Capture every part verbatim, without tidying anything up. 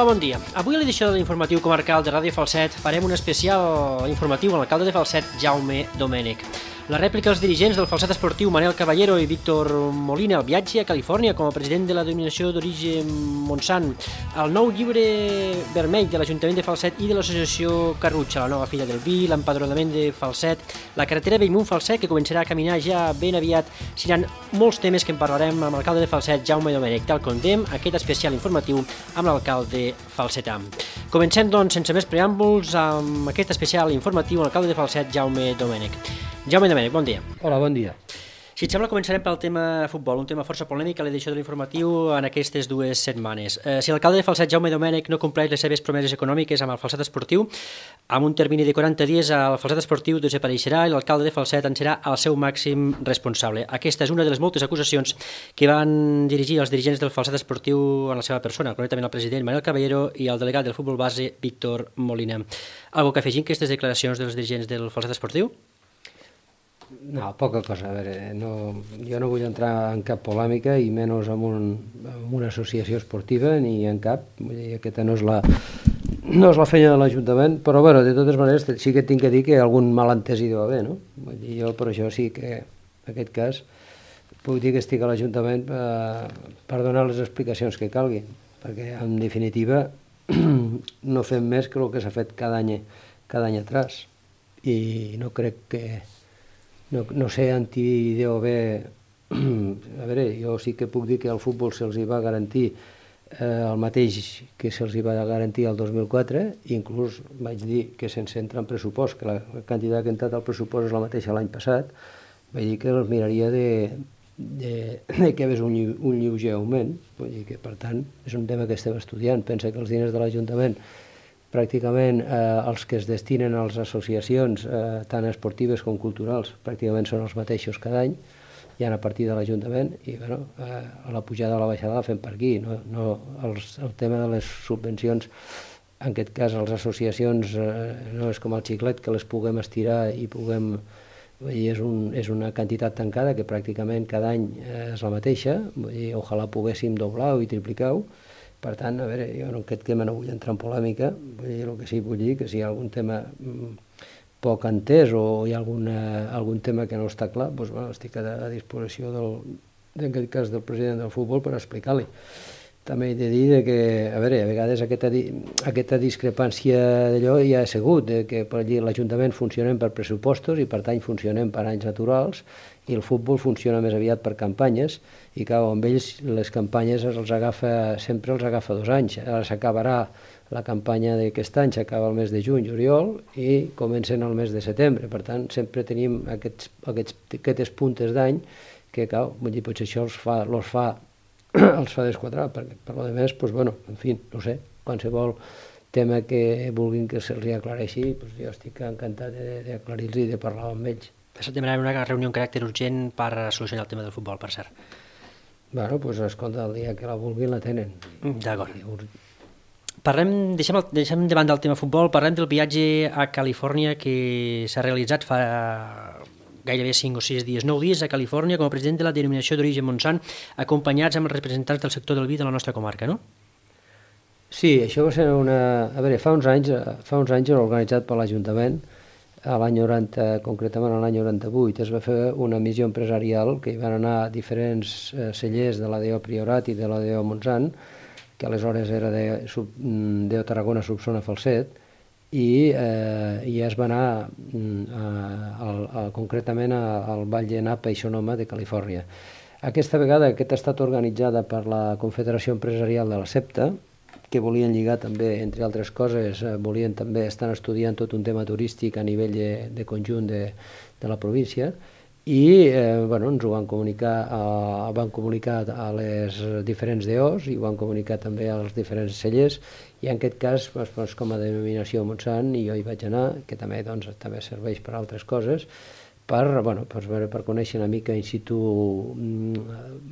bon dia. Avui a l'edició de l'informatiu comarcal de Ràdio Falset farem un especial informatiu amb l'alcalde de Falset, Jaume Domènech. La rèplica als dirigents del Falset Esportiu Manel Caballero i Víctor Molina, el viatge a Califòrnia com a president de la denominació d'origen Montsant, el nou llibre vermell de l'Ajuntament de Falset i de l'associació Carrutxa, la nova filla del vi, l'empadronament de Falset, la carretera Bellmunt-Falset que començarà a caminar ja ben aviat. Seran molts temes que en parlarem amb l'alcalde de Falset, Jaume Domènech, tal com dèiem, aquest especial informatiu amb l'alcalde falsetà. Comencem, doncs, sense més preàmbuls, amb aquest especial informatiu amb l'alcalde de Falset, Jaume Domènech. Jaume Domènech, bon dia. Hola, bon dia. Si et sembla, començarem pel tema futbol, un tema força polèmic a l'edició de l'informatiu en aquestes dues setmanes. Eh, si l'alcalde de Falset, Jaume Domènech, no compleix les seves promeses econòmiques amb el Falset Esportiu, amb un termini de quaranta dies el Falset Esportiu desapareixerà i l'alcalde de Falset en serà el seu màxim responsable. Aquesta és una de les moltes acusacions que van dirigir els dirigents del Falset Esportiu en la seva persona, concretament el president Manel Caballero i el delegat del futbol base Víctor Molina. Algo que afegim aquestes declaracions dels dirigents del Falset Esportiu? No, poca cosa. A veure, no, jo no vull entrar en cap polèmica i menys en, un, en una associació esportiva ni en cap. Vull dir, aquesta no és la, no és la feina de l'Ajuntament, però bueno, de totes maneres sí que tinc que dir que algun malentès hi deu haver, no? Vull dir, jo per això sí que en aquest cas puc dir que estic a l'Ajuntament per, per donar les explicacions que calguin, perquè en definitiva no fem més que el que s'ha fet cada any, cada any atrás i no crec que No, no sé en qui deu haver... A veure, jo sí que puc dir que al futbol se'ls va garantir eh, el mateix que se'ls va garantir el dos mil quatre, i inclús vaig dir que sense entrar en pressupost, que la quantitat que ha entrat al pressupost és la mateixa l'any passat, vaig dir que els miraria de, de, de que hi hagués un, un lleuger augment. Vull dir que, per tant, és un tema que estem estudiant. Pensa que els diners de l'Ajuntament pràcticament eh, els que es destinen a les associacions, eh, tant esportives com culturals, pràcticament són els mateixos cada any, ja a partir de l'Ajuntament, i bueno, eh, la pujada o la baixada la fem per aquí. No, no, els, el tema de les subvencions, en aquest cas les associacions, eh, no és com el xiclet que les puguem estirar i puguem... Vull dir, és, un, és una quantitat tancada que pràcticament cada any eh, és la mateixa. Vull dir, ojalà poguéssim doblar-ho i triplicar-ho. Per tant, a veure, jo en aquest tema no vull entrar en polèmica, vull dir, el que sí vull dir que si hi ha algun tema poc entès o hi ha alguna, algun tema que no està clar, doncs, bueno, estic a, a disposició del, en aquest cas del president del futbol per explicar-li. També he de dir que, a veure, a vegades aquesta, aquesta discrepància d'allò ja ha sigut, que per allí l'Ajuntament funcionem per pressupostos i per tant funcionem per anys naturals, i el futbol funciona més aviat per campanyes, i clar, amb ells les campanyes els agafa, sempre els agafa dos anys. Ara s'acabarà la campanya d'aquest any, s'acaba el mes de juny, juliol, i comencen el mes de setembre. Per tant, sempre tenim aquests, aquests, aquestes puntes d'any que, clar, vull dir, potser això els fa, els fa, els fa desquadrar, perquè per lo demés, doncs, bueno, en fi, no sé, qualsevol tema que vulguin que se'ls aclareixi, doncs jo estic encantat d'aclarir-los i de parlar amb ells. S'ha demanat una reunió amb caràcter urgent per solucionar el tema del futbol, per cert. Bueno, doncs escolta, el dia que la vulguin la tenen. D'acord. Parlem, deixem, el, deixem davant del tema futbol, parlem del viatge a Califòrnia que s'ha realitzat fa gairebé cinc o sis dies, nou dies a Califòrnia com a president de la denominació d'origen Montsant, acompanyats amb els representants del sector del vi de la nostra comarca, no? Sí, això va ser una... A veure, fa uns anys, fa uns anys era organitzat per l'Ajuntament, a l'any noranta, concretament a l'any noranta-vuit, es va fer una missió empresarial que hi van anar diferents eh, cellers de l'A D O Priorat i de l'A D O Montsant, que aleshores era de, de Tarragona Subzona Falset, i, eh, i es va anar a, a, a, concretament a, al Vall de Napa i Sonoma de Califòrnia. Aquesta vegada aquesta ha estat organitzada per la Confederació Empresarial de la CEPTA, que volien lligar també, entre altres coses, eh, volien també estar estudiant tot un tema turístic a nivell de, de conjunt de, de la província, i eh, bueno, ens ho van comunicar, a, van comunicar a les diferents D Os i ho van comunicar també als diferents cellers, i en aquest cas, doncs, com a denominació Montsant, i jo hi vaig anar, que també, doncs, també serveix per altres coses, per, bueno, per, per conèixer una mica in situ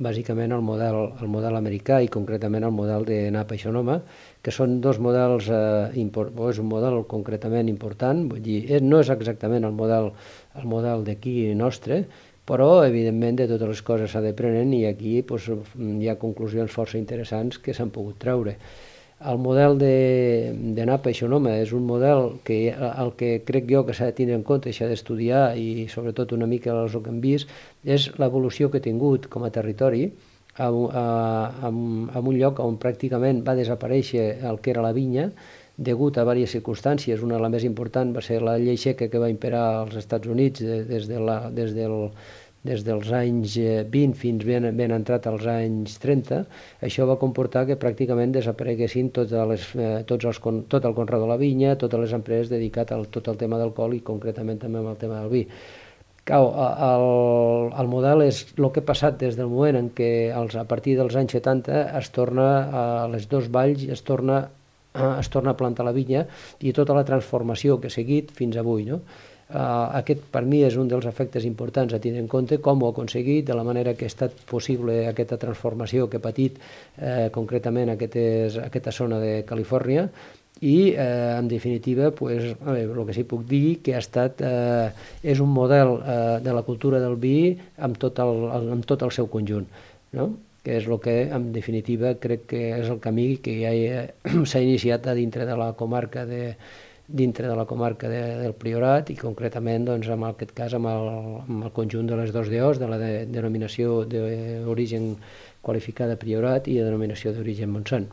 bàsicament el model, el model americà i concretament el model de Napa i Sonoma, que són dos models, eh, import, és un model concretament important, vull dir, no és exactament el model, el model d'aquí nostre, però evidentment de totes les coses s'ha de prenen i aquí doncs, hi ha conclusions força interessants que s'han pogut treure. El model de, de Napa i Sonoma és un model que el que crec jo que s'ha de tindre en compte i s'ha d'estudiar, i sobretot una mica el que hem vist, és l'evolució que ha tingut com a territori en un lloc on pràcticament va desaparèixer el que era la vinya degut a diverses circumstàncies. Una de les més importants va ser la llei seca que va imperar als Estats Units des, de la, des del des dels anys vint fins ben, ben entrat als anys trenta. Això va comportar que pràcticament desapareguessin totes les, eh, tots els, tot el conreu de la vinya, totes les empreses dedicades a tot el tema d'alcohol i concretament també amb el tema del vi. Cau, el, el model és el que ha passat des del moment en què els, a partir dels anys setanta es torna a les dos valls, es torna, es torna a plantar la vinya i tota la transformació que ha seguit fins avui, no? Uh, aquest per mi és un dels efectes importants a tenir en compte, com ho ha aconseguit, de la manera que ha estat possible aquesta transformació que ha patit eh, concretament aquestes, aquesta zona de Califòrnia i eh, en definitiva pues, a veure, el que sí puc dir que ha estat, eh, és un model eh, de la cultura del vi amb tot el, amb tot el seu conjunt, no? Que és el que en definitiva crec que és el camí que ja s'ha iniciat a dintre de la comarca de dintre de la comarca de, del Priorat i concretament doncs, en aquest cas amb el, amb el conjunt de les dos D Os, de la de, denominació d'origen qualificada Priorat i de denominació d'origen Montsant.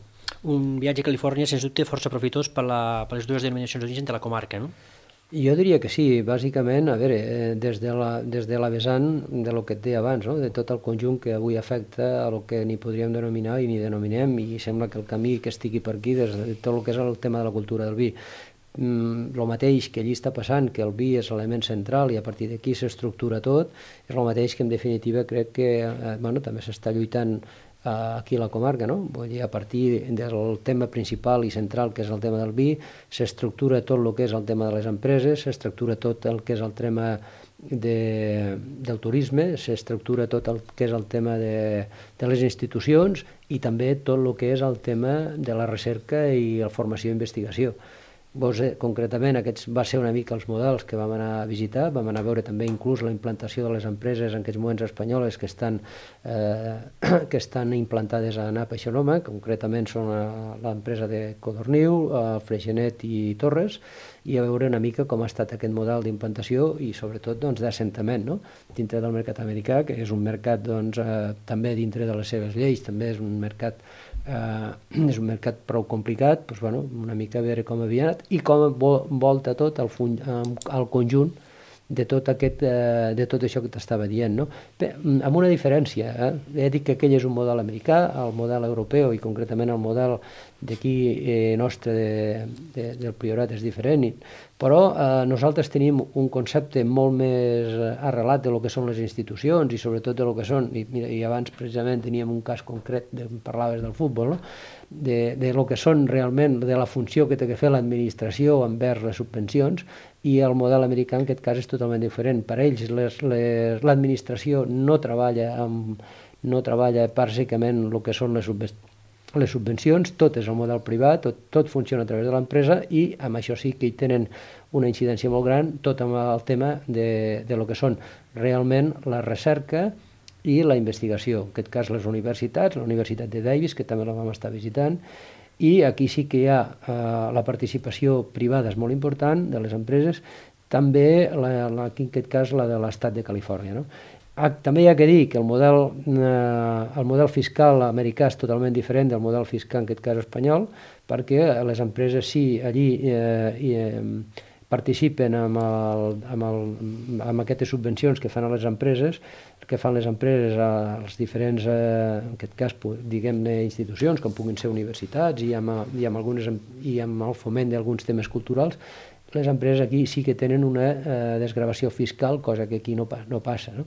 Un viatge a Califòrnia, sens dubte, força profitós per, la, per les dues denominacions d'origen de la comarca, no? Jo diria que sí, bàsicament, a veure, des de la, des de la vessant de lo que et deia abans, no? De tot el conjunt que avui afecta a lo que ni podríem denominar i ni denominem, i sembla que el camí que estigui per aquí, des de tot el que és el tema de la cultura del vi, el mateix que allí està passant, que el vi és l'element central i a partir d'aquí s'estructura tot, és el mateix que en definitiva crec que eh, bueno, també s'està lluitant eh, aquí a la comarca, no? Vull dir, a partir del tema principal i central que és el tema del vi, s'estructura tot el que és el tema de les empreses, s'estructura tot el que és el tema de, del turisme, s'estructura tot el que és el tema de, de les institucions i també tot el que és el tema de la recerca i la formació i investigació. Vos, eh, concretament, aquests va ser una mica els models que vam anar a visitar, vam anar a veure també inclús la implantació de les empreses en aquests moments espanyoles que estan, eh, que estan implantades a Napa i Sonoma, concretament són l'empresa de Codorniu, Freixenet i Torres, i a veure una mica com ha estat aquest model d'implantació i sobretot doncs, d'assentament, no? Dintre del mercat americà, que és un mercat doncs, eh, també dintre de les seves lleis, també és un mercat Uh, és un mercat prou complicat, doncs, bueno, una mica a veure com havia anat i com volta tot el, fun, el conjunt de tot, aquest, uh, de tot això que t'estava dient, no? Bé, amb una diferència, eh? He dit que aquell és un model americà, el model europeu i concretament el model d'aquí eh, nostre de, de, del Priorat és diferent, però eh, nosaltres tenim un concepte molt més arrelat de lo que són les institucions i sobretot de lo que són, i, mira, i abans precisament teníem un cas concret, de, parlaves del futbol, no? de, de lo que són realment, de la funció que té que fer l'administració envers les subvencions, i el model americà en aquest cas és totalment diferent. Per ells l'administració no treballa amb, no treballa bàsicament el que són les subvencions, les subvencions, tot és el model privat, tot, tot funciona a través de l'empresa i amb això sí que hi tenen una incidència molt gran, tot amb el tema de, de lo que són realment la recerca i la investigació. En aquest cas les universitats, la Universitat de Davis, que també la vam estar visitant, i aquí sí que hi ha eh, la participació privada és molt important de les empreses, també la, la, en aquest cas la de l'estat de Califòrnia, no? També hi ha que dir que el model, eh, el model fiscal americà és totalment diferent del model fiscal, en aquest cas espanyol, perquè les empreses sí, allí eh, eh, participen amb, el, amb, el, amb aquestes subvencions que fan a les empreses, que fan les empreses als diferents, eh, en aquest cas, diguem-ne, institucions, com puguin ser universitats, i amb, i amb, algunes, i amb el foment d'alguns temes culturals. Les empreses aquí sí que tenen una eh, desgravació fiscal, cosa que aquí no, no passa, no?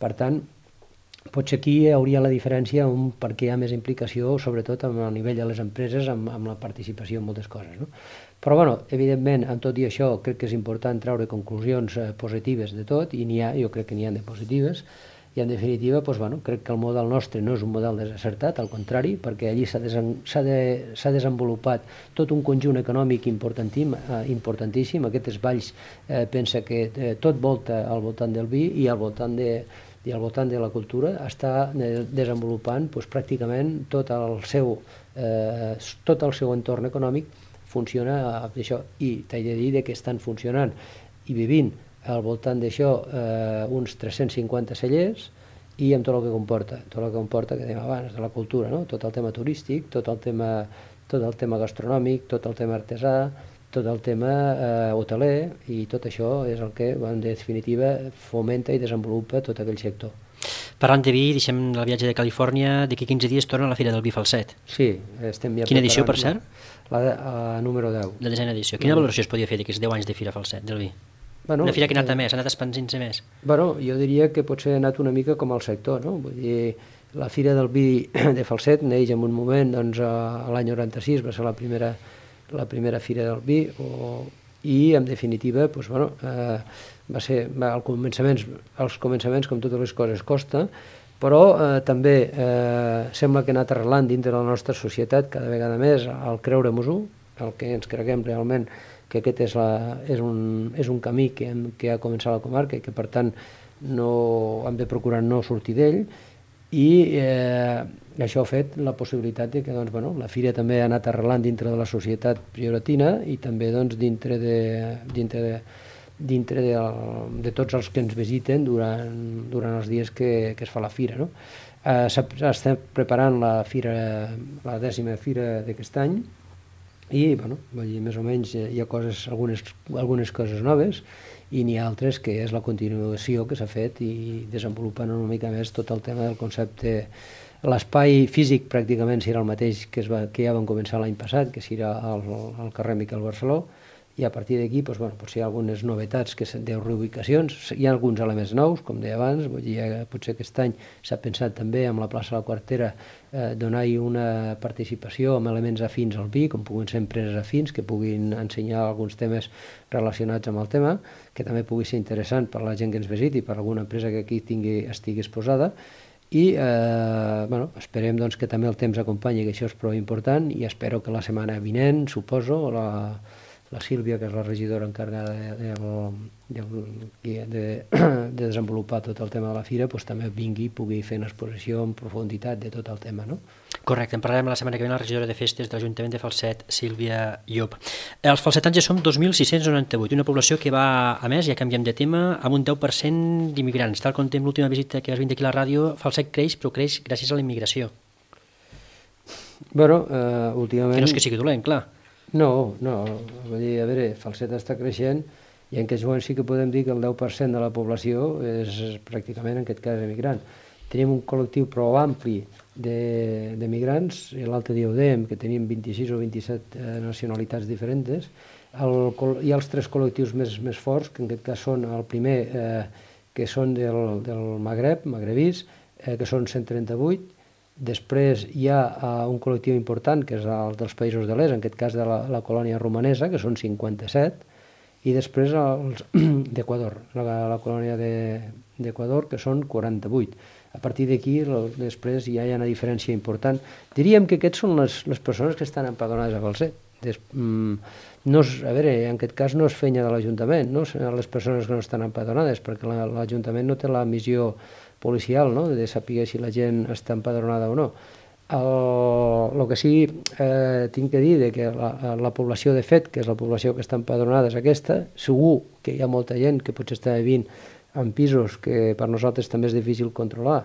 Per tant, potser aquí hi hauria la diferència on, perquè hi ha més implicació, sobretot amb el nivell de les empreses, amb, amb la participació en moltes coses, no? Però, bueno, evidentment, amb tot i això, crec que és important treure conclusions eh, positives de tot, i n'hi ha, jo crec que n'hi ha de positives, i en definitiva, doncs, bueno, crec que el model nostre no és un model desacertat, al contrari, perquè allí s'ha desen, de, desenvolupat tot un conjunt econòmic importantíssim, eh, importantíssim. Aquestes valls eh, pensa que eh, tot volta al voltant del vi i al voltant de i al voltant de la cultura està desenvolupant doncs, pràcticament tot el seu, eh, tot el seu entorn econòmic funciona d'això, i t'he de dir que estan funcionant i vivint al voltant d'això eh, uns tres-cents cinquanta cellers, i amb tot el que comporta, tot el que comporta que dèiem abans, de la cultura, no? Tot el tema turístic, tot el tema, tot el tema gastronòmic, tot el tema artesà, tot el tema eh, hoteler, i tot això és el que, en definitiva, fomenta i desenvolupa tot aquell sector. Parlant de vi, deixem el viatge de Califòrnia, d'aquí quinze dies torna a la Fira del Vi Falset. Sí, estem ja... Quina edició, per cert? La, la, la número deu. La desena edició. Quina valoració es podia fer d'aquests deu anys de Fira Falset, del vi? Bueno, una fira que ha anat a més, ha anat expandint-se més. Bueno, jo diria que potser ha anat una mica com el sector, no? Vull dir, la Fira del Vi de Falset neix en un moment, doncs, a l'any noranta-sis va ser la primera, la primera Fira del Vi, o, i en definitiva, doncs, bueno, eh, va ser, va, al començaments, als començaments, com totes les coses, costa, però eh, també eh, sembla que ha anat arrelant dintre de la nostra societat cada vegada més al creure-nos-ho, el que ens creguem realment que aquest és, la, és, un, és un camí que, hem, que ha començat la comarca i que per tant no, hem de procurar no sortir d'ell, i eh, això ha fet la possibilitat de que doncs, bueno, la fira també ha anat arrelant dintre de la societat prioratina i també doncs, dintre, de, dintre, de, dintre de, de tots els que ens visiten durant, durant els dies que, que es fa la fira. No? Eh, Estem preparant la, fira, la dècima fira d'aquest any, i bueno, més o menys hi ha coses, algunes, algunes coses noves, i n'hi ha altres que és la continuació que s'ha fet i desenvolupant una mica més tot el tema del concepte. L'espai físic pràcticament serà el mateix que, es va, que ja vam començar l'any passat, que serà al, al carrer Miquel Barceló, i a partir d'aquí doncs, bueno, potser hi ha algunes novetats, que de reubicacions, hi ha alguns elements nous, com deia abans, vull dir, potser aquest any s'ha pensat també amb la plaça de la Quartera eh, donar-hi una participació amb elements afins al vi, com puguin ser empreses afins, que puguin ensenyar alguns temes relacionats amb el tema, que també pugui ser interessant per la gent que ens visiti, per alguna empresa que aquí tingui, estigui exposada, i eh, bueno, esperem doncs, que també el temps acompanyi, que això és prou important, i espero que la setmana vinent, suposo, la la Sílvia, que és la regidora encarregada de, de, de, de, de desenvolupar tot el tema de la fira, doncs també vingui i pugui fer una exposició en profunditat de tot el tema, no? Correcte, en parlarem la setmana que ve amb la regidora de festes de l'Ajuntament de Falset, Sílvia Llop. Els falsetans ja som dos mil sis-cents noranta-vuit, una població que va, a més, ja canviem de tema, amb un deu per cent d'immigrants. Tal com tem l'última visita que vas venir aquí a la ràdio, Falset creix, però creix gràcies a la immigració. Bueno, uh, últimament... Que no és que sigui dolent, clar. No, no, vull dir, a veure, Falset està creixent i en aquest moment sí que podem dir que el deu per cent de la població és pràcticament, en aquest cas, emigrant. Tenim un col·lectiu prou ampli de, de migrants, l'altre dia ho dèiem, que tenim vint-i-sis o vint-i-set eh, nacionalitats diferents. El, hi ha els tres col·lectius més, més forts, que en aquest cas són el primer, eh, que són del, del Magreb, magrebís, eh, que són cent trenta-vuit. Després hi ha uh, un col·lectiu important, que és el dels països de l'est, en aquest cas de la, la colònia romanesa, que són cinquanta-set, i després els d'Equador, la, la colònia d'Equador, que són quaranta-vuit. A partir d'aquí, després ja hi ha una diferència important. Diríem que aquests són les, les persones que estan empadronades a Falset. Des, mm, no és, a veure, en aquest cas no és feina de l'Ajuntament, no? Les persones que no estan empadronades, perquè l'Ajuntament no té la missió policial, no?, de saber si la gent està empadronada o no. El, el que sí eh, tinc que dir de que la, la població de fet, que és la població que està empadronada, és aquesta. Segur que hi ha molta gent que potser està vivint en pisos que per nosaltres també és difícil controlar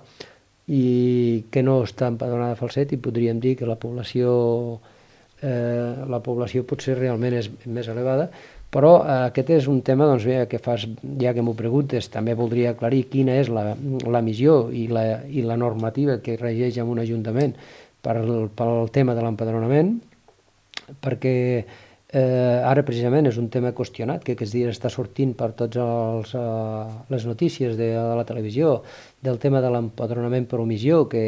i que no està empadronada a Falset, i podríem dir que la població, eh, la població potser realment és més elevada. Però eh, aquest és un tema, doncs bé, que fas, ja que m'ho preguntes, també voldria aclarir quina és la, la missió i la, i la normativa que regeix en un ajuntament per el, pel tema de l'empadronament, perquè eh, ara precisament és un tema qüestionat, que aquests dies està sortint per totes eh, les notícies de, de la televisió, del tema de l'empadronament per omissió, que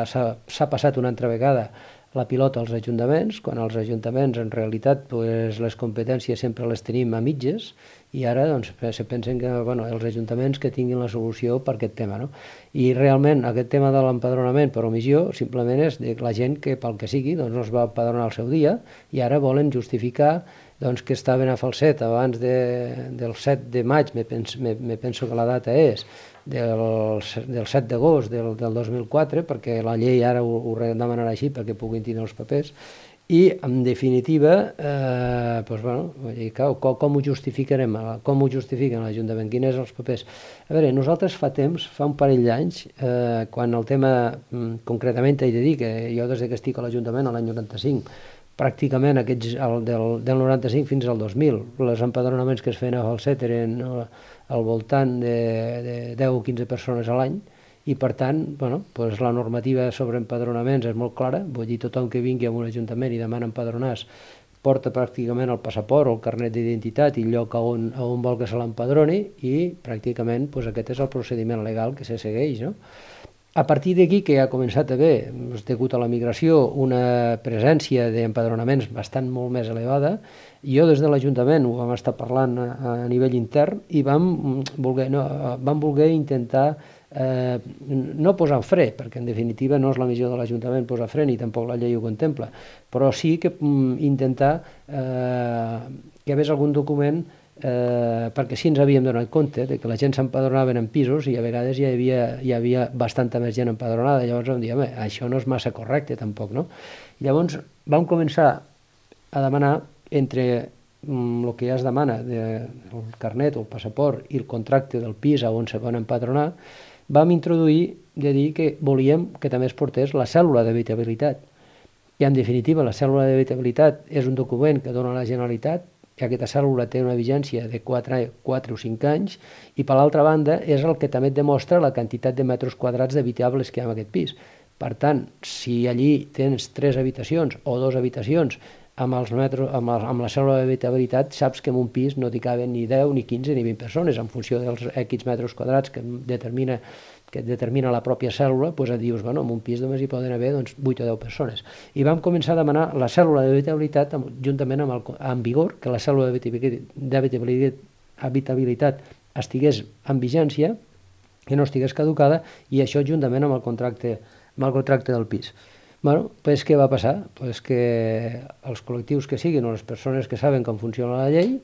s'ha passat una altra vegada la pilota als ajuntaments, quan els ajuntaments en realitat pues, les competències sempre les tenim a mitges, i ara doncs, se pensen que bueno, els ajuntaments que tinguin la solució per aquest tema. No? I realment aquest tema de l'empadronament per omissió simplement és de la gent que pel que sigui doncs, no es va empadronar al seu dia i ara volen justificar doncs, que estaven a Falset abans de, del set de maig, me penso, me, me penso que la data és, del, del set d'agost del, del dos mil quatre, perquè la llei ara ho, ho demanarà així perquè puguin tenir els papers, i en definitiva, eh, doncs, bueno, com, com ho justificarem? Com ho justifiquen l'Ajuntament? Quins són els papers? A veure, nosaltres fa temps, fa un parell d'anys, eh, quan el tema, concretament he de dir que jo des que estic a l'Ajuntament l'any noranta-cinc, pràcticament aquests, el, del, del noranta-cinc fins al dos mil, els empadronaments que es feien a Falset eren al voltant de, de deu o quinze persones a l'any, i per tant, bueno, doncs la normativa sobre empadronaments és molt clara, vull dir, tothom que vingui a un ajuntament i demana empadronar-se porta pràcticament el passaport o el carnet d'identitat i el lloc on, on vol que se l'empadroni, i pràcticament doncs, aquest és el procediment legal que se segueix, no? A partir d'aquí, que ha començat a haver, degut a la migració, una presència d'empadronaments bastant molt més elevada, jo des de l'Ajuntament ho vam estar parlant a, a nivell intern i vam voler, no, vam voler intentar eh, no posar en fre, perquè en definitiva no és la missió de l'Ajuntament posar fre, ni tampoc la llei ho contempla, però sí que mm, intentar eh, que hi hagués algun document, eh, perquè sí ens havíem donat compte de que la gent s'empadronaven en pisos i a vegades hi havia, hi havia bastanta més gent empadronada, llavors vam dir, home, això no és massa correcte tampoc, no? Llavors vam començar a demanar entre el que ja es demana, de, el carnet o el passaport i el contracte del pis on se van empadronar, vam introduir de dir que volíem que també es portés la cèl·lula d'habitabilitat. I en definitiva la cèl·lula d'habitabilitat és un document que dona la Generalitat, i aquesta cèl·lula té una vigència de quatre o cinc anys, i per l'altra banda és el que també et demostra la quantitat de metres quadrats d'habitables que hi ha en aquest pis. Per tant, si allí tens tres habitacions o dues habitacions, amb, els metros, amb, el, amb la cèl·lula d'habitabilitat saps que en un pis no t'hi caben ni deu, ni quinze, ni vint persones, en funció dels X metres quadrats que determina, que determina la pròpia cèl·lula, doncs et dius, bueno, en un pis només hi poden haver doncs, vuit o deu persones. I vam començar a demanar la cèl·lula d'habitabilitat juntament amb, el, amb vigor, que la cèl·lula d'habitabilitat estigués en vigència, que no estigués caducada, i això juntament amb el contracte, amb el contracte del pis. Bueno, doncs què va passar? Pues que els col·lectius que siguin o les persones que saben com funciona la llei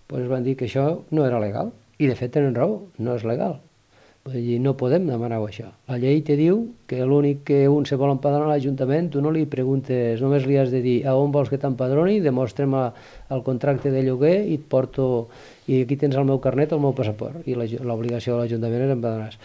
pues van dir que això no era legal. I de fet tenen raó, no és legal. Vull dir, no podem demanar-ho això. La llei te diu que l'únic que un se vol empadronar a l'Ajuntament, tu no li preguntes, només li has de dir a on vols que t'empadroni, demostra'm el contracte de lloguer i et porto, i aquí tens el meu carnet o el meu passaport. I l'obligació de l'Ajuntament és empadronar-se.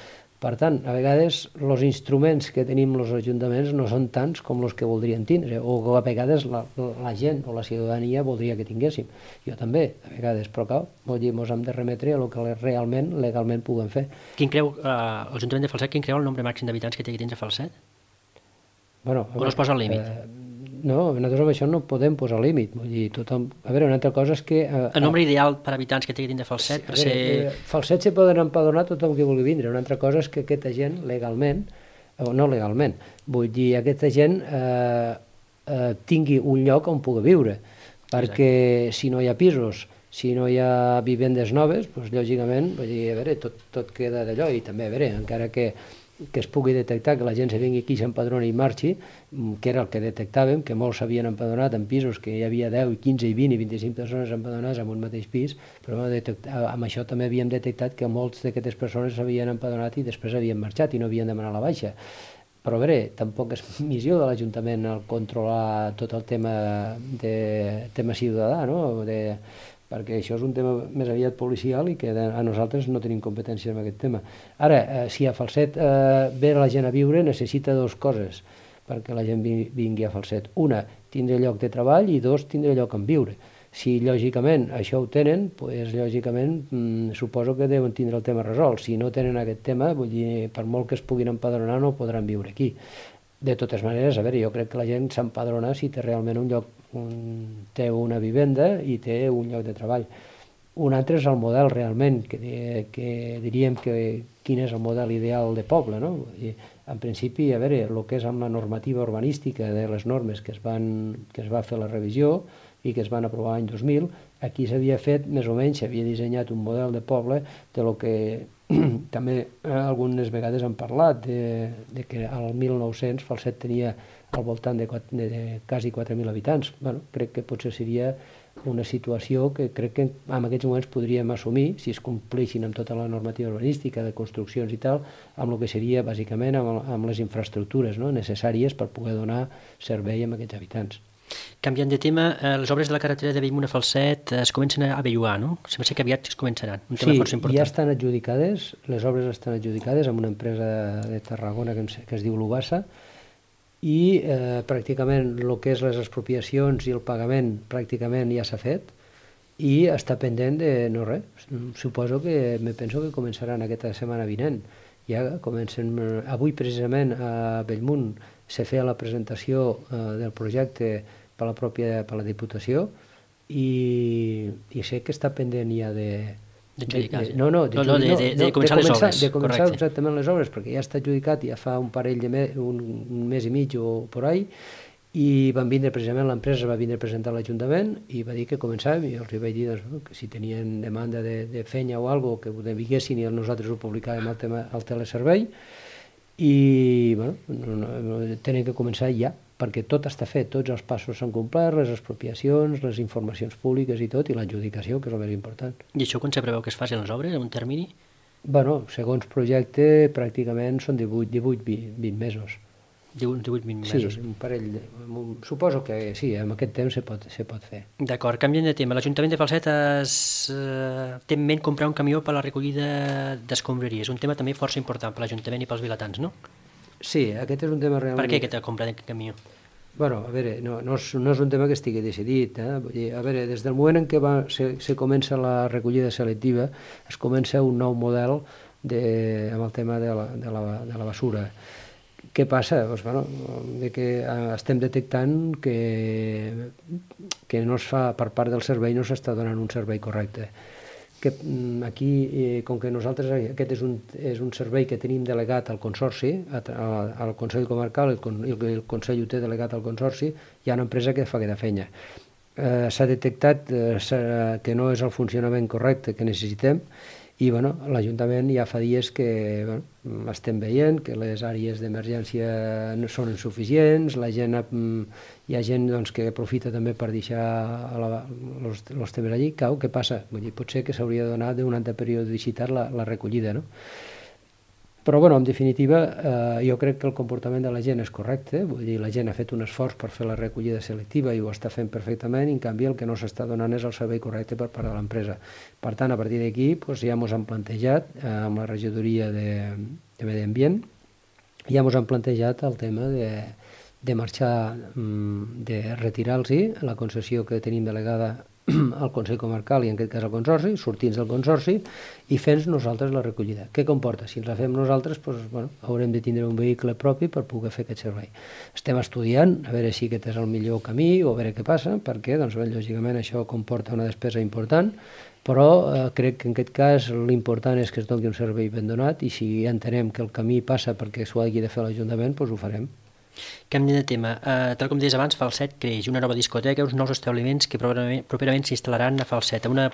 Per tant, a vegades els instruments que tenim els ajuntaments no són tants com els que voldrien tindre, o a vegades la, la gent o la ciutadania voldria que tinguéssim. Jo també, a vegades, però cal, vull dir, ens hem de remetre a el que realment, legalment puguem fer. Quin creu, eh, l'Ajuntament de Falset, quin creu el nombre màxim d'habitants que té aquí dins de Falset? Bueno, o no es posa el límit? Eh, no, nosaltres amb això no podem posar límit. Vull dir, tothom... A veure, una altra cosa és que... Eh, el nombre ideal per habitants que té dins de Falset, sí, per veure, ser... Eh, Falset se poden empadronar tothom que vulgui vindre. Una altra cosa és que aquesta gent, legalment, o no legalment, vull dir, aquesta gent eh, eh, tingui un lloc on pugui viure. Perquè exacte, si no hi ha pisos, si no hi ha vivendes noves, doncs, lògicament, vull dir, a veure, tot, tot queda d'allò. I també, a veure, encara que que es pugui detectar que la gent se vingui aquí, s'empadroni i marxi, que era el que detectàvem, que molts s'havien empadronat en pisos que hi havia deu, quinze, vint i vint-i-cinc persones empadronades en un mateix pis, però amb això també havíem detectat que molts d'aquestes persones s'havien empadronat i després havien marxat i no havien demanat la baixa. Però a veure, tampoc és missió de l'Ajuntament el controlar tot el tema de tema ciutadà, no? De, perquè això és un tema més aviat policial i que a nosaltres no tenim competència en aquest tema. Ara, eh, si a Falset eh, ve la gent a viure, necessita dues coses perquè la gent vingui a Falset. Una, tindre lloc de treball, i dos, tindre lloc on viure. Si lògicament això ho tenen, doncs lògicament mmm, suposo que deuen tindre el tema resolt. Si no tenen aquest tema, vull dir, per molt que es puguin empadronar no podran viure aquí. De totes maneres, a veure, jo crec que la gent s'empadrona si té realment un lloc, un, té una vivenda i té un lloc de treball. Un altre és el model realment, que, que diríem que quin és el model ideal de poble, no? I, en principi, a veure, el que és amb la normativa urbanística de les normes que es, van, que es va fer la revisió i que es van aprovar l'any dos mil, aquí s'havia fet, més o menys, s'havia dissenyat un model de poble de lo que també algunes vegades han parlat de, de que al mil nou-cents Falset tenia al voltant de, de, de quasi quatre mil habitants. Bueno, crec que potser seria una situació que crec que en aquests moments podríem assumir, si es compleixin amb tota la normativa urbanística de construccions i tal, amb el que seria bàsicament amb, amb les infraestructures, no?, necessàries per poder donar servei a aquests habitants. Canviant de tema, eh, les obres de la carretera de Bellmunt a Falset eh, es comencen a bellugar, no? Sembla ser que aviat es començaran, un tema sí, força important. Sí, ja estan adjudicades, les obres estan adjudicades amb una empresa de Tarragona que, que es diu Lubassa, i eh, pràcticament el que és les expropiacions i el pagament pràcticament ja s'ha fet i està pendent de no res. Suposo que, me penso que començaran aquesta setmana vinent. Ja comencen, avui precisament a Bellmunt se feia la presentació eh, del projecte per la pròpia per la Diputació i, i sé que està pendent ja de... D'adjudicar. No, no, de, no, no, de, de, de, de començar les obres. De començar correcte. Exactament les obres, perquè ja està adjudicat ja fa un parell de mes, un, un mes i mig o por ahí, i van vindre precisament, l'empresa va vindre a presentar a l'Ajuntament i va dir que començàvem, i els vaig dir doncs, que si tenien demanda de, de fenya o alguna cosa, que ho vinguessin i nosaltres ho publicàvem al, tema, al teleservei, i bueno, no, no, no, tenen que començar ja, perquè tot està fet, tots els passos s'han complert, les expropiacions, les informacions públiques i tot, i l'adjudicació, que és el més important. I això quan se preveu que es facin les obres, en un termini? Bueno, segons projecte, pràcticament són divuit, divuit vint mesos. divuit, vint mesos. Sí, un parell de... Suposo que sí, en aquest temps se pot, se pot fer. D'acord, canviant de tema. L'Ajuntament de Falset es, eh, té en ment comprar un camió per a la recollida d'escombraries. Un tema també força important per l'Ajuntament i pels vilatans, no? Sí, aquest és un tema realment... Per què aquesta compra d'aquest camió? Bueno, a veure, no, no, és, no és un tema que estigui decidit. Eh? Vull dir, a veure, des del moment en què va, se, se comença la recollida selectiva, es comença un nou model de, amb el tema de la, de la, de la basura. Què passa? Doncs, bueno, de que estem detectant que, que no es fa, per part del servei no s'està donant un servei correcte. Que aquí, eh, com que nosaltres, aquest és un, és un servei que tenim delegat al Consorci, a, a, al Consell Comarcal, el, el, el Consell ho té delegat al Consorci, hi ha una empresa que fa aquesta feina. Eh, s'ha detectat eh, que no és el funcionament correcte que necessitem, i bueno, l'Ajuntament ja fa dies que bueno, estem veient que les àrees d'emergència no són insuficients, la gent, hi ha gent doncs, que aprofita també per deixar els temes allí. Cau, què passa? Vull dir, potser que s'hauria de donar d'un altre periodicitat la, la recollida, no? Però, bueno, en definitiva, eh, jo crec que el comportament de la gent és correcte, vull dir, la gent ha fet un esforç per fer la recollida selectiva i ho està fent perfectament, i en canvi el que no s'està donant és el servei correcte per part de l'empresa. Per tant, a partir d'aquí, doncs, ja ens han plantejat, eh, amb la regidoria de, de Medi Ambient, ja ens han plantejat el tema de, de marxar, de retirar-los la concessió que tenim delegada al Consell Comarcal i en aquest cas al Consorci, sortint del Consorci i fent nosaltres la recollida. Què comporta? Si ens la fem nosaltres, doncs, bueno, haurem de tindre un vehicle propi per poder fer aquest servei. Estem estudiant a veure si aquest és el millor camí o a veure què passa, perquè doncs, bé, lògicament això comporta una despesa important, però eh, crec que en aquest cas l'important és que es doni un servei ben donat, i si entenem que el camí passa perquè s'ho hagi de fer l'Ajuntament, doncs ho farem. Canviant de tema, uh, tal com deies abans, Falset creix, una nova discoteca, uns nous establiments que properament, properament s'instal·laran a Falset, una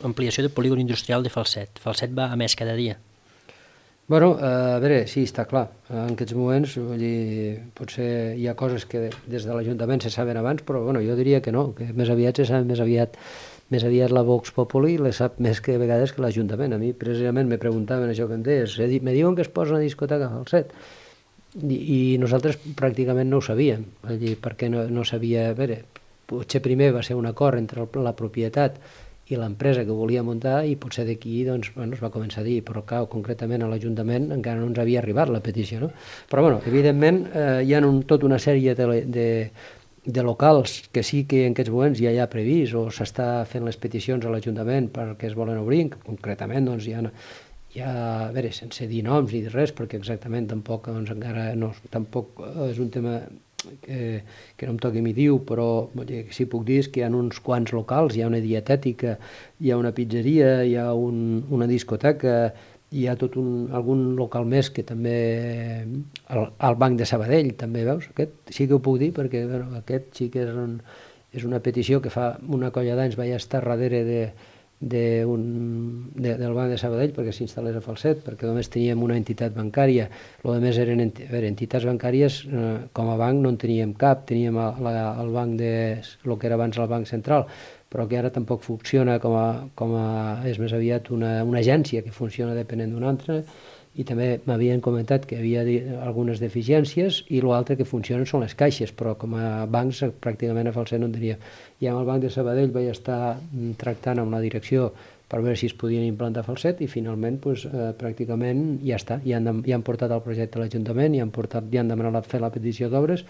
ampliació del polígon industrial de Falset. Falset va a més cada dia. Bueno, uh, a veure, sí, està clar. En aquests moments, vull dir, potser hi ha coses que des de l'Ajuntament se saben abans, però bueno, jo diria que no, que més aviat se saben més aviat més aviat la Vox Populi les sap més que a vegades que l'Ajuntament. A mi precisament me preguntaven això que em deies, me diuen que es posa una discoteca a Falset. I, i nosaltres pràcticament no ho sabíem, perquè no, no sabia... A veure, potser primer va ser un acord entre la propietat i l'empresa que volia muntar, i potser d'aquí doncs, bueno, es va començar a dir, però clar, concretament a l'Ajuntament encara no ens havia arribat la petició, no? Però bueno, evidentment eh, hi ha un, tota una sèrie de, de, de locals que sí que en aquests moments ja hi ha previst o s'està fent les peticions a l'Ajuntament perquè es volen obrir, concretament doncs hi ha... Ja, a veure, sense dir noms ni res, perquè exactament tampoc, doncs, encara no, tampoc és un tema que, que no em toqui mi diu, però sí puc dir que hi ha uns quants locals, hi ha una dietètica, hi ha una pizzeria, hi ha un, una discoteca, hi ha tot un, algun local més que també, el, el Banc de Sabadell també, veus? Aquest sí que ho puc dir, perquè bueno, aquest sí que és, un, és una petició que fa una colla d'anys vaig estar darrere de De un, de, del Banc de Sabadell perquè s'instal·lés a Falset, perquè només teníem una entitat bancària, el més eren enti, a veure, entitats bancàries, eh, com a banc no en teníem cap, teníem el, la, el banc de, el que era abans el Banc Central, però que ara tampoc funciona com a, com a és més aviat una, una agència que funciona depenent d'una altra, i també m'havien comentat que hi havia algunes deficiències, i l'altre que funcionen són les caixes, però com a bancs pràcticament a Falset no en tenia. I amb el Banc de Sabadell vaig estar tractant amb la direcció per veure si es podien implantar Falset, i finalment pues, eh, pràcticament ja està, ja han, ja han portat el projecte a l'Ajuntament, ja han, portat, ja han demanat a fer la petició d'obres,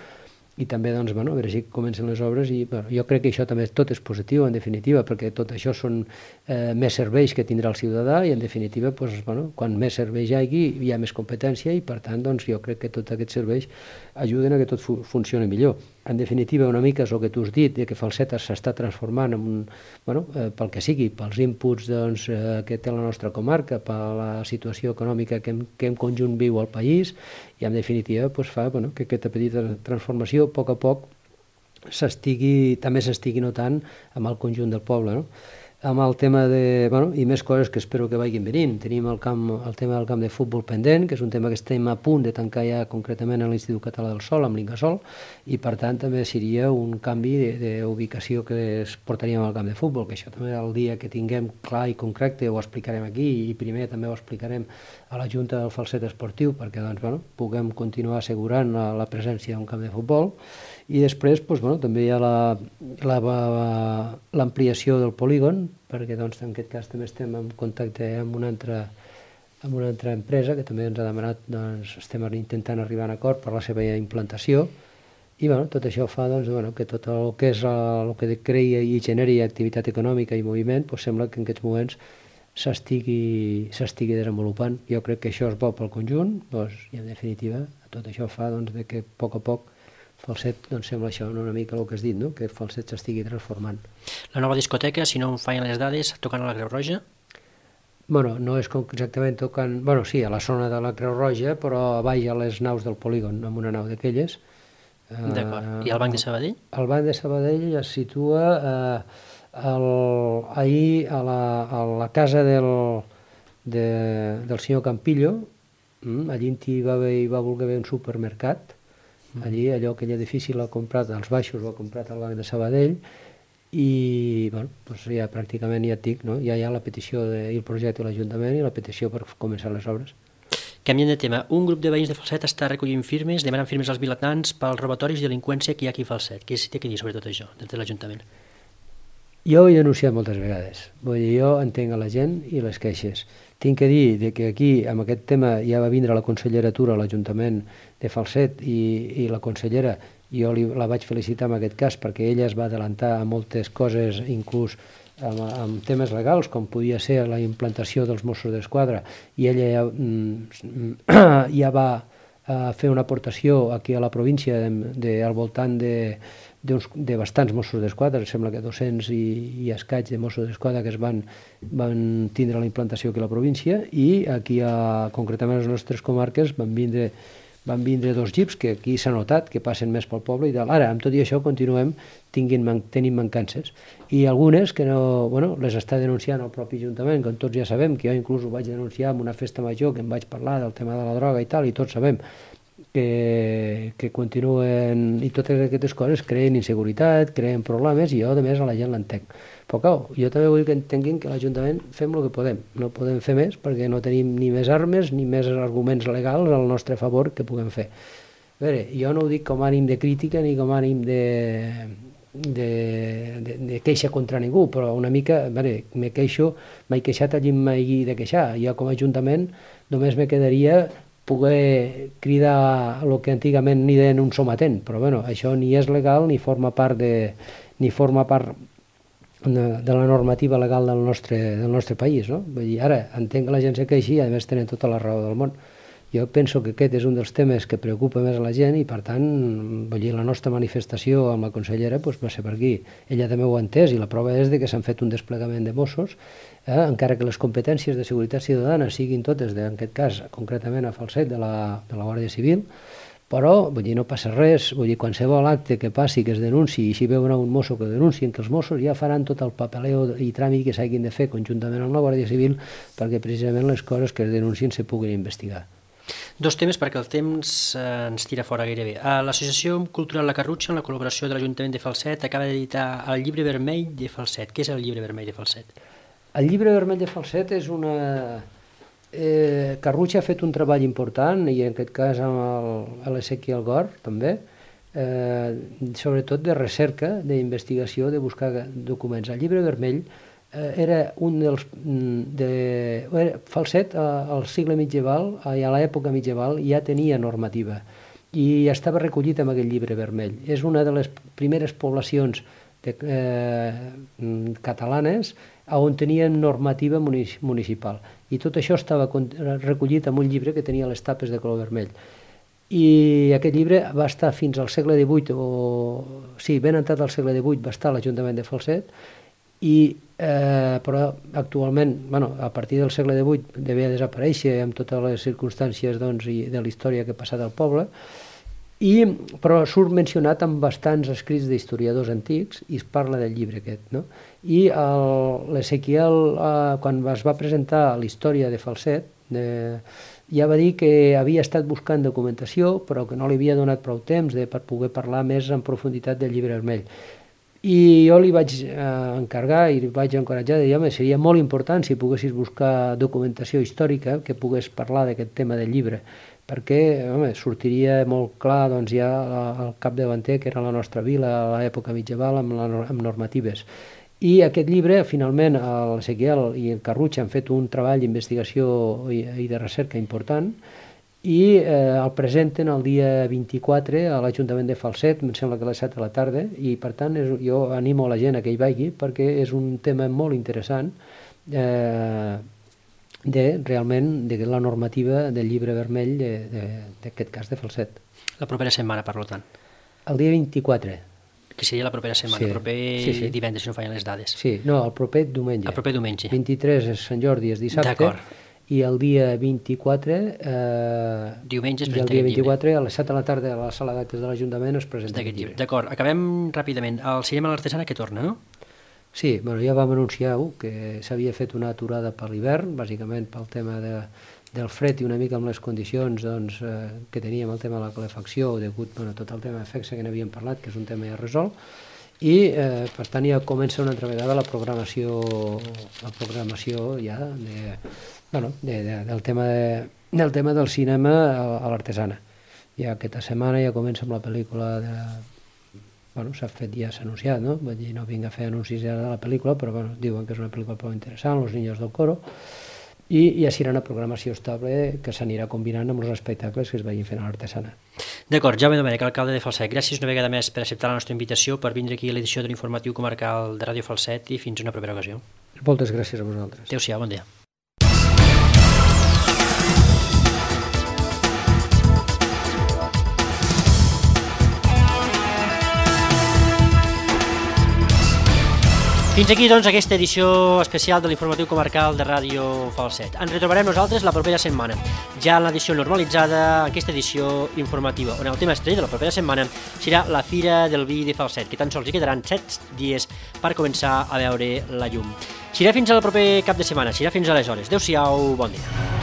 i també doncs, bueno, a veure si comencen les obres, i bueno, jo crec que això també tot és positiu en definitiva, perquè tot això són eh, més serveis que tindrà el ciutadà, i en definitiva doncs, bueno, quan més serveis hi hagi hi ha més competència, i per tant doncs, jo crec que tots aquests serveis ajuden a que tot fu funcioni millor. En definitiva, una mica és el que tu has dit, que Falset s'està transformant en un, bueno, eh, pel que sigui, pels inputs doncs, eh, que té la nostra comarca, per la situació econòmica que en, que en conjunt viu el país, i en definitiva pues, fa bueno, que aquesta petita transformació a poc a poc s'estigui, també s'estigui notant amb el conjunt del poble, no? Amb el tema de, bueno, i més coses que espero que vagin venint. Tenim el, camp, el tema del camp de futbol pendent, que és un tema que estem a punt de tancar ja concretament a l'Institut Català del Sol, amb l'Incasol, i per tant també seria un canvi d'ubicació que es portaríem al camp de futbol, que això també el dia que tinguem clar i concret ho explicarem aquí, i primer també ho explicarem a la Junta del Falset Esportiu, perquè doncs, bueno, puguem continuar assegurant la, la presència d'un camp de futbol. I després doncs, bueno, també hi ha l'ampliació del polígon, perquè doncs, en aquest cas també estem en contacte amb una altra, amb una altra empresa que també ens ha demanat, doncs, estem intentant arribar a un acord per la seva implantació, i bueno, tot això fa doncs, bueno, que tot el que és el que crea i generi activitat econòmica i moviment, doncs, sembla que en aquests moments s'estigui desenvolupant. Jo crec que això és bo pel conjunt, doncs, i en definitiva tot això fa doncs, de que a poc a poc Falset doncs, sembla això una mica el que has dit, no? Que Falset s'estigui transformant. La nova discoteca, si no em fallen les dades, tocant a la Creu Roja? Bueno, no és exactament tocant... Bueno, sí, a la zona de la Creu Roja, però a baix a les naus del polígon, amb una nau d'aquelles. D'acord. I el Banc de Sabadell? El Banc de Sabadell es situa eh, el, ahir a la, a la casa del, de, del senyor Campillo. Allí hi va, haver, hi va voler haver un supermercat. Allí, allò, aquell edifici l'ha comprat, als baixos l'ha comprat el Banc de Sabadell, i bueno, doncs ja pràcticament ja et dic, no? Ja hi ha la petició de, i el projecte de l'Ajuntament i la petició per començar les obres. Canviant de tema, un grup de veïns de Falset està recollint firmes, demanant firmes als vilatans pels robatoris i delinqüència que hi ha aquí a Falset. Què té que dir sobre tot això, des de l'Ajuntament? Jo ho he denunciat moltes vegades. Vull dir, jo entenc a la gent i les queixes. Tinc que dir que aquí, amb aquest tema, ja va vindre la conselleratura a l'Ajuntament de Falset, i, i la consellera, jo li, la vaig felicitar en aquest cas, perquè ella es va adelantar a moltes coses, inclús amb, amb temes legals, com podia ser la implantació dels Mossos d'Esquadra, i ella ja, mm, ja va a fer una aportació aquí a la província de, de, al voltant de de bastants Mossos d'Esquadra, sembla que dos-cents i, i escaig de Mossos d'Esquadra que es van, van tindre la implantació aquí a la província, i aquí, a, concretament a les nostres comarques, van vindre, van vindre dos jeeps que aquí s'ha notat que passen més pel poble i tal. Ara, amb tot i això, continuem tinguin, tenint mancances, i algunes que no, bueno, les està denunciant el propi Ajuntament, com tots ja sabem, que jo inclús ho vaig denunciar en una festa major que em vaig parlar del tema de la droga i tal, i tots sabem que, que continuen, i totes aquestes coses creen inseguretat, creen problemes, i jo a més a la gent l'entenc. Però clar, jo també vull que entenguin que l'Ajuntament fem el que podem, no podem fer més perquè no tenim ni més armes ni més arguments legals al nostre favor que puguem fer. A veure, jo no ho dic com a ànim de crítica ni com a ànim de, de, de, de queixa contra ningú, però una mica, a veure, me queixo, m'he queixat allí m'he de queixar. Jo com a Ajuntament només me quedaria poder cridar el que antigament ni deien un sometent, però bueno, això ni és legal ni forma part de, ni forma part de, de la normativa legal del nostre, del nostre país, no? Vull dir, ara entenc que la gent se queixi i a més tenen tota la raó del món. Jo penso que aquest és un dels temes que preocupa més a la gent, i per tant, vull dir, la nostra manifestació amb la consellera doncs, va ser per aquí. Ella també ho ha entès, i la prova és de que s'han fet un desplegament de Mossos, eh, encara que les competències de seguretat ciutadana siguin totes, de, en aquest cas, concretament a Falset, de la, de la Guàrdia Civil, però vull dir, no passa res, vull dir, qualsevol acte que passi, que es denunciï, i si veuen un mosso que denuncien, que els Mossos ja faran tot el papeleo i tràmit que s'hagin de fer conjuntament amb la Guàrdia Civil perquè precisament les coses que es denuncien se puguin investigar. Dos temes perquè el temps eh, ens tira fora gairebé. L'Associació Cultural La Carrutxa, en la col·laboració de l'Ajuntament de Falset, acaba d'editar el Llibre Vermell de Falset. Què és el Llibre Vermell de Falset? El Llibre Vermell de Falset és una... Eh, Carrutxa ha fet un treball important, i en aquest cas amb l'Ezequiel Gor, també, eh, sobretot de recerca, d'investigació, de buscar documents. El Llibre Vermell era un dels... De, era, Falset, al segle medieval, a l'època medieval, ja tenia normativa i estava recollit en aquell Llibre Vermell. És una de les primeres poblacions de, eh, catalanes on tenien normativa municipal, i tot això estava recollit en un llibre que tenia les tapes de color vermell. I aquest llibre va estar fins al segle divuit, o sí, ben entrat al segle divuit va estar a l'Ajuntament de Falset, i, eh, però actualment, bueno, a partir del segle divuit devia desaparèixer amb totes les circumstàncies doncs, i de la història que ha passat al poble, i, però surt mencionat en bastants escrits d'historiadors antics i es parla del llibre aquest. No? I l'Ezequiel, eh, quan es va presentar la història de Falset, de, ja va dir que havia estat buscant documentació, però que no li havia donat prou temps de, per poder parlar més en profunditat del Llibre Vermell. I jo li vaig eh, encarregar i li vaig encoratjar de dir, home, seria molt important si poguessis buscar documentació històrica que pogués parlar d'aquest tema del llibre, perquè home, sortiria molt clar doncs, ja al capdavanter que era la nostra vila a l'època medieval amb, la, amb normatives. I aquest llibre, finalment, l'Ezequiel i el Carrutxa han fet un treball d'investigació i, i de recerca important, i eh, el presenten el dia vint-i-quatre a l'Ajuntament de Falset, em sembla que a les set de la tarda, i per tant és, jo animo a la gent a que hi vagi perquè és un tema molt interessant eh, de realment de la normativa del Llibre Vermell d'aquest cas de Falset. La propera setmana, per tant. El dia vint-i-quatre. Que seria la propera setmana, sí, el proper sí, sí. divendres, si no fallen les dades. Sí, no, el proper diumenge. El proper diumenge. vint-i-tres és Sant Jordi, és dissabte. D'acord. I el dia vint-i-quatre, eh, diumenge es el dia vint-i-quatre a les set de la tarda a la sala d'actes de l'Ajuntament es presenta aquest llibre. D'acord, acabem ràpidament. El cinema a l'Artesana que torna, no? Sí, bueno, ja vam anunciar que s'havia fet una aturada per l'hivern, bàsicament pel tema de, del fred i una mica amb les condicions doncs, eh, que teníem el tema de la calefacció, degut bueno, tot el tema d'efecte que n'havíem parlat, que és un tema ja resolt, i eh, per tant ja comença una altra vegada la programació, la programació ja de, bueno, de, de, del, tema de, del tema del cinema a, a l'Artesana. Ja aquesta setmana ja comença amb la pel·lícula de... Bueno, s'ha fet, ja s'ha anunciat, no? Vull dir, no vinc a fer anuncis ja de la pel·lícula, però bueno, diuen que és una pel·lícula prou interessant, Los niños del coro, i ja serà una programació estable que s'anirà combinant amb els espectacles que es vagin fent a l'Artesana. D'acord, Jaume Domènech, alcalde de Falset, gràcies una vegada més per acceptar la nostra invitació, per vindre aquí a l'edició de l'informatiu comarcal de Ràdio Falset i fins una propera ocasió. Moltes gràcies a vosaltres. Adéu-siau, bon dia. Fins aquí, doncs, aquesta edició especial de l'informatiu comarcal de Ràdio Falset. Ens retrobarem nosaltres la propera setmana, ja en l'edició normalitzada, aquesta edició informativa, on el tema estrella de la propera setmana serà la Fira del Vi de Falset, que tan sols hi quedaran set dies per començar a veure la llum. Serà fins al proper cap de setmana, serà fins aleshores. Adéu-siau, bon dia.